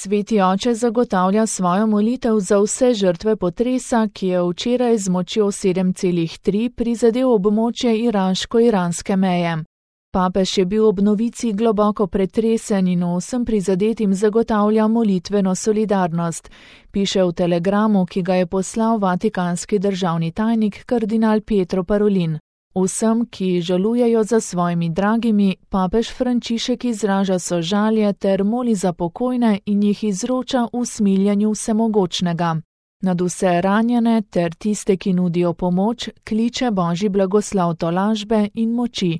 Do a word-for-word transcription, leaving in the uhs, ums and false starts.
Sveti oče zagotavlja svojo molitev za vse žrtve potresa, ki je včeraj z močjo sedem celih tri prizadel območje iraško-iranske meje. Papež je bil ob novici globoko pretresen in vsem prizadetim zagotavlja molitveno solidarnost, piše v telegramu, ki ga je poslal vatikanski državni tajnik kardinal Pietro Parolin. Vsem, ki žalujejo za svojimi dragimi, papež Frančišek izraža sožalje ter moli za pokojne in jih izroča v smiljenju vsemogočnega. Nad vse ranjene ter tiste, ki nudijo pomoč, kliče Božji blagoslov tolažbe in moči.